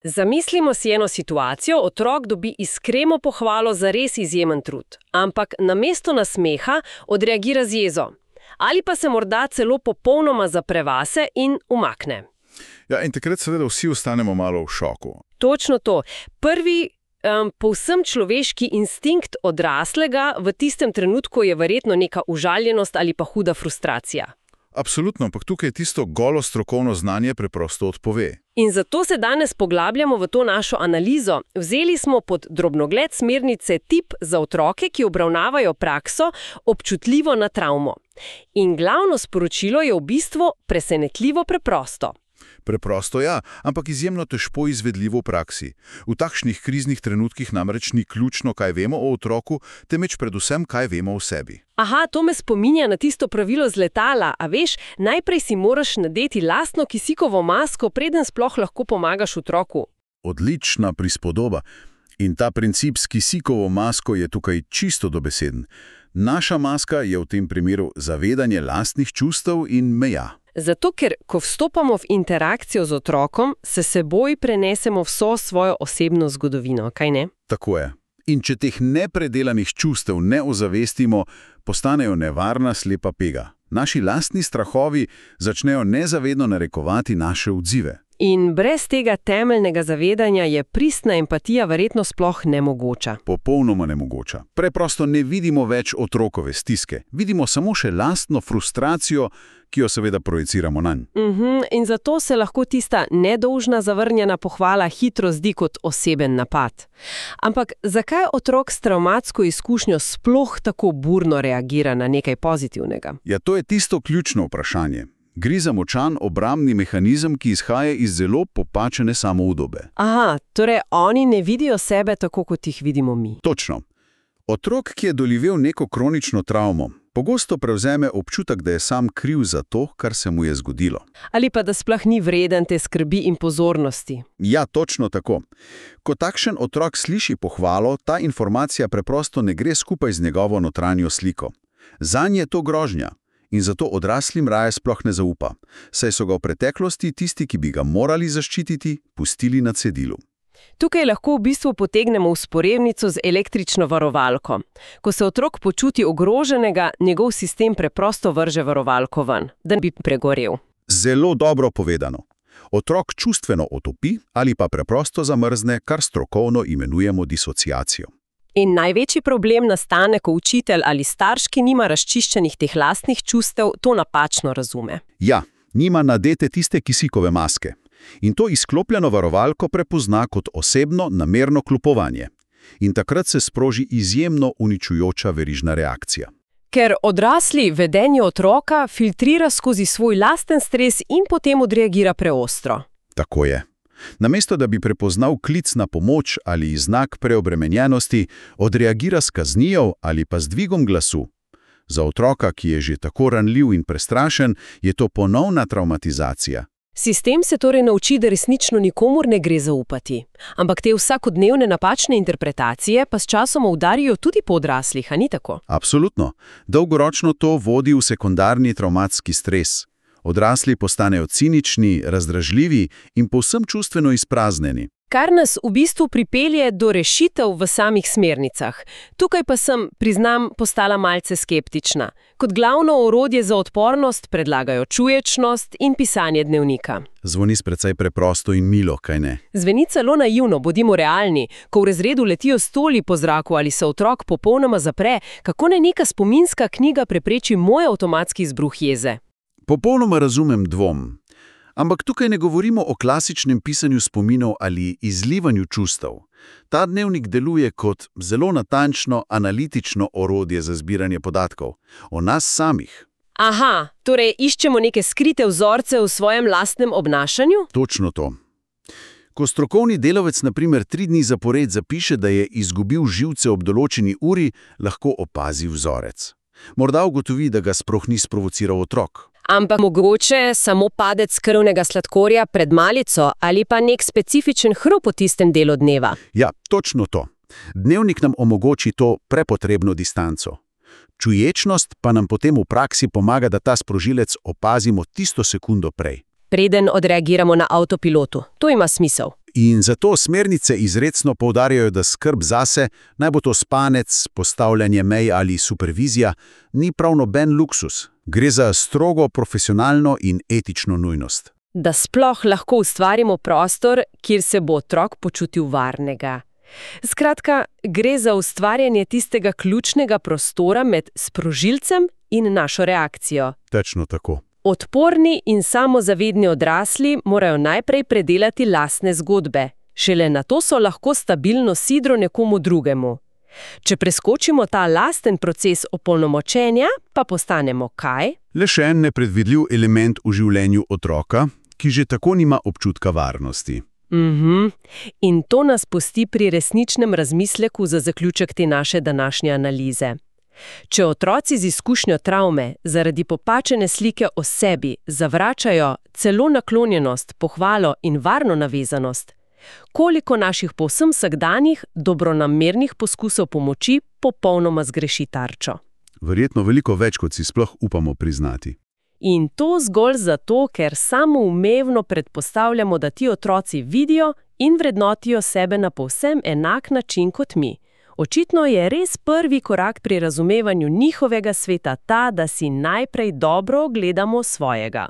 Zamislimo si eno situacijo, otrok dobi iskreno pohvalo za res izjemen trud, ampak namesto nasmeha odreagira z jezo. Ali pa se morda celo popolnoma zapre vase in umakne. Ja, in takrat seveda vsi ostanemo malo v šoku. Točno to. Prvi povsem človeški instinkt odraslega v tistem trenutku je verjetno neka užaljenost ali pa huda frustracija. Absolutno, ampak tukaj tisto golo strokovno znanje preprosto odpove. In zato se danes poglabljamo v to našo analizo. Vzeli smo pod drobnogled smernice tip za otroke, ki obravnavajo prakso občutljivo na travmo. In glavno sporočilo je v bistvu presenetljivo preprosto. Preprosto ja, ampak izjemno težko izvedljivo v praksi. V takšnih kriznih trenutkih namreč ni ključno, kaj vemo o otroku, temveč predvsem, kaj vemo o sebi. Aha, to me spominja na tisto pravilo z letala, a veš, najprej si moraš nadeti lastno kisikovo masko, preden sploh lahko pomagaš otroku. Odlična prispodoba. In ta princip s kisikovo masko je tukaj čisto dobeseden. Naša maska je v tem primeru zavedanje lastnih čustev in meja. Zato, ker ko vstopamo v interakcijo z otrokom, se seboj prenesemo vso svojo osebno zgodovino, kaj ne? Tako je. In če teh nepredelanih čustev ne ozavestimo, postanejo nevarna slepa pega. Naši lastni strahovi začnejo nezavedno narekovati naše odzive. In brez tega temeljnega zavedanja je pristna empatija verjetno sploh nemogoča. Popolnoma nemogoča. Preprosto ne vidimo več otrokove stiske. Vidimo samo še lastno frustracijo, ki jo seveda projiciramo nanj. In zato se lahko tista nedolžna zavrnjena pohvala hitro zdi kot oseben napad. Ampak zakaj otrok s travmatsko izkušnjo sploh tako burno reagira na nekaj pozitivnega? Ja, to je tisto ključno vprašanje. Gre za močan obrambni mehanizem, ki izhaja iz zelo popačene samoudobe. Aha, torej oni ne vidijo sebe tako, kot jih vidimo mi. Točno. Otrok, ki je doživel neko kronično travmo, pogosto prevzeme občutek, da je sam kriv za to, kar se mu je zgodilo. Ali pa da sploh ni vreden te skrbi in pozornosti. Ja, točno tako. Ko takšen otrok sliši pohvalo, ta informacija preprosto ne gre skupaj z njegovo notranjo sliko. Zanj je to grožnja. In zato odraslim raje sploh ne zaupa, saj so ga v preteklosti tisti, ki bi ga morali zaščititi, pustili na cedilu. Tukaj lahko v bistvu potegnemo vzporednico z električno varovalko. Ko se otrok počuti ogroženega, njegov sistem preprosto vrže varovalko ven, da bi pregorel. Zelo dobro povedano. Otrok čustveno otopi ali pa preprosto zamrzne, kar strokovno imenujemo disociacijo. In največji problem nastane, ko učitelj ali starš, ki nima razčiščenih teh lastnih čustev, to napačno razume. Ja, nima nadete tiste kisikove maske. In to izklopljeno varovalko prepozna kot osebno, namerno kljupovanje. In takrat se sproži izjemno uničujoča verižna reakcija. Ker odrasli vedenje otroka filtrira skozi svoj lasten stres in potem odreagira preostro. Tako je. Namesto da bi prepoznal klic na pomoč ali znak preobremenjenosti, odreagira s kaznijo ali pa z dvigom glasu. Za otroka, ki je že tako ranljiv in prestrašen, je to ponovna travmatizacija. Sistem se torej nauči, da resnično nikomur ne gre zaupati. Ampak te vsakodnevne napačne interpretacije pa s časoma udarijo tudi po odraslih, a ni tako? Absolutno. Dolgoročno to vodi v sekundarni travmatski stres. Odrasli postanejo cinični, razdražljivi in povsem čustveno izpraznjeni. Kar nas v bistvu pripelje do rešitev v samih smernicah. Tukaj pa sem, priznam, postala malce skeptična. Kot glavno orodje za odpornost predlagajo čuječnost in pisanje dnevnika. Zvoni precej preprosto in milo, kaj ne? Zveni celo naivno, bodimo realni. Ko v razredu letijo stoli po zraku ali se otrok popolnoma zapre, kako naj neka spominska knjiga prepreči moj avtomatski izbruh jeze? Popolnoma razumem dvom. Ampak tukaj ne govorimo o klasičnem pisanju spominov ali izlivanju čustev. Ta dnevnik deluje kot zelo natančno, analitično orodje za zbiranje podatkov. O nas samih. Aha, torej iščemo neke skrite vzorce v svojem lastnem obnašanju? Točno to. Ko strokovni delavec na primer 3 dni zapored zapiše, da je izgubil živce ob določeni uri, lahko opazi vzorec. Morda ugotovi, da ga sploh ni sprovociral otrok. Ampak mogoče samo padec krvnega sladkorja pred malico ali pa nek specifičen hrup v tistem delu dneva. Ja, točno to. Dnevnik nam omogoči to prepotrebno distanco. Čuječnost pa nam potem v praksi pomaga, da ta sprožilec opazimo tisto sekundo prej. Preden odreagiramo na avtopilotu. To ima smisel. In zato smernice izrecno poudarjajo, da skrb zase, naj bo to spanec, postavljanje mej ali supervizija, ni prav noben luksus. Gre za strogo profesionalno in etično nujnost. Da sploh lahko ustvarimo prostor, kjer se bo otrok počutil varnega. Skratka, gre za ustvarjanje tistega ključnega prostora med sprožilcem in našo reakcijo. Točno tako. Odporni in samozavedni odrasli morajo najprej predelati lastne zgodbe. Šele nato so lahko stabilno sidro nekomu drugemu. Če preskočimo ta lasten proces opolnomočenja, pa postanemo kaj? Le še en nepredvidljiv element v življenju otroka, ki že tako nima občutka varnosti. In to nas pusti pri resničnem razmisleku za zaključek te naše današnje analize. Če otroci z izkušnjo travme zaradi popačene slike o sebi zavračajo celo naklonjenost, pohvalo in varno navezanost, koliko naših povsem vsakdanjih, dobronamernih poskusov pomoči popolnoma zgreši tarčo? Verjetno veliko več, kot si sploh upamo priznati. In to zgolj zato, ker samoumevno predpostavljamo, da ti otroci vidijo in vrednotijo sebe na povsem enak način kot mi. Očitno je res prvi korak pri razumevanju njihovega sveta ta, da si najprej dobro ogledamo svojega.